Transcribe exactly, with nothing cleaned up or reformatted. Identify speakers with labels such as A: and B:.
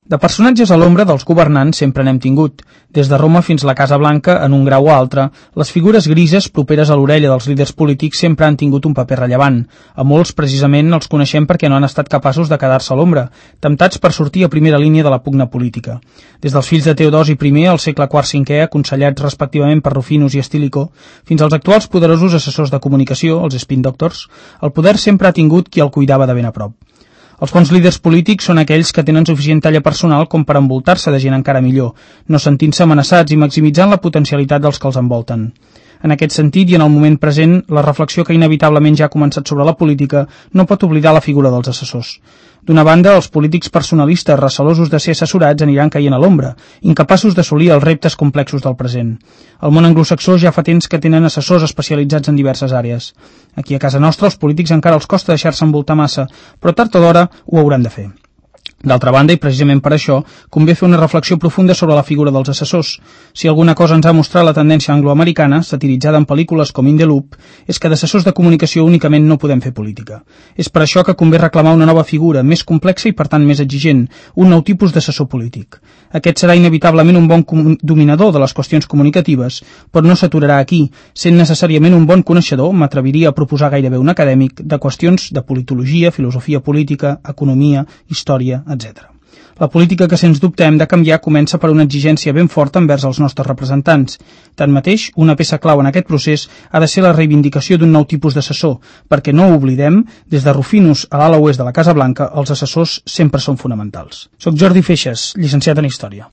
A: De personatges a l'ombra dels governants sempre n'hem tingut. Des de Roma fins a la Casa Blanca, en un grau o altre, les figures grises properes a l'orella dels líders polítics sempre han tingut un paper rellevant. A molts, precisament, els coneixem perquè no han estat capaços de quedar-se a l'ombra, temptats per sortir a primera línia de la pugna política. Des dels fills de Teodosi primer al segle quart-cinquè, aconsellats respectivament per Rufinus i Estílico, fins als actuals poderosos assessors de comunicació, els spin doctors, el poder sempre ha tingut qui el cuidava de ben a prop. Els bons líders polítics són aquells que tenen suficient talla personal com per envoltar-se de gent encara millor, no sentint-se amenaçats i maximitzant la potencialitat dels que els envolten. En aquest sentit, i en el moment present, la reflexió que inevitablement ja ha començat sobre la política no pot oblidar la figura dels assessors. D'una banda, els polítics personalistes recelosos de ser assessorats aniran caient a l'ombra, incapaços d'assolir els reptes complexos del present. Al món anglosaxó ja fa temps que tenen assessors especialitzats en diverses àrees. Aquí a casa nostra els polítics encara els costa deixar-se envoltar massa, però tard o d'hora ho hauran de fer. D'altra banda, i precisament per això, convé fer una reflexió profunda sobre la figura dels assessors. Si alguna cosa ens ha mostrat la tendència angloamericana, satiritzada en pel·lícules com In the Loop, és que d'assessors de comunicació únicament no podem fer política. És per això que convé reclamar una nova figura, més complexa i per tant més exigent, un nou tipus d'assessor polític. Aquest serà inevitablement un bon dominador de les qüestions comunicatives, però no s'aturarà aquí, sent necessàriament un bon coneixedor, m'atreviria a proposar gairebé un acadèmic, de qüestions de politologia, filosofia política, economia, història, etcètera. La política que sens dubte hem de canviar comença per una exigència ben forta envers els nostres representants. Tanmateix, una peça clau en aquest procés ha de ser la reivindicació d'un nou tipus d'assessor, perquè no ho oblidem, des de Rufinus a l'ala oest de la Casa Blanca, els assessors sempre són fonamentals. Soc Jordi Feixes, llicenciat en Història.